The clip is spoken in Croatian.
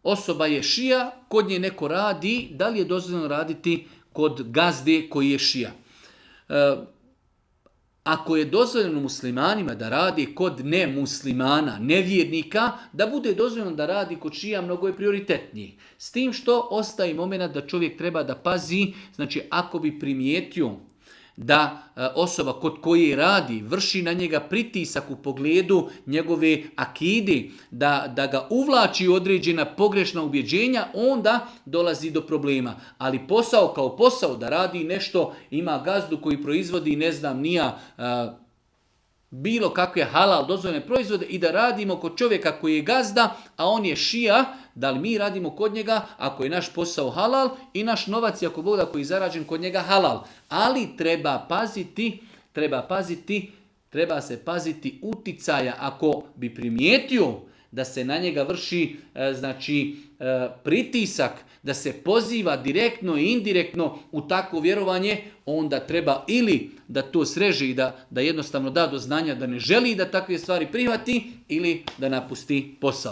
osoba je šija, kod nje neko radi, da li je dozvoljeno raditi kod gazde koji je šija? Ako je dozvoljeno muslimanima da radi kod nemuslimana, nevjernika, da bude dozvoljeno da radi kod šija, mnogo je prioritetniji. S tim što ostaje moment da čovjek treba da pazi, znači ako bi primijetio da osoba kod koje radi vrši na njega pritisak u pogledu njegove akide, da ga uvlači u određena pogrešna ubjeđenja, onda dolazi do problema. Ali posao kao posao da radi nešto, ima gazdu koji proizvodi, ne znam, nija bilo kakve halal dozvoljene proizvode i da radimo kod čovjeka koji je gazda, a on je šija, da li mi radimo kod njega ako je naš posao halal i naš novac, ako Bog da, koji je zarađen kod njega halal. Ali treba se paziti uticaja ako bi primijetio da se na njega vrši pritisak, da se poziva direktno i indirektno u takvo vjerovanje, onda treba ili da to sreže i da jednostavno da do znanja da ne želi da takve stvari prihvati ili da napusti posao.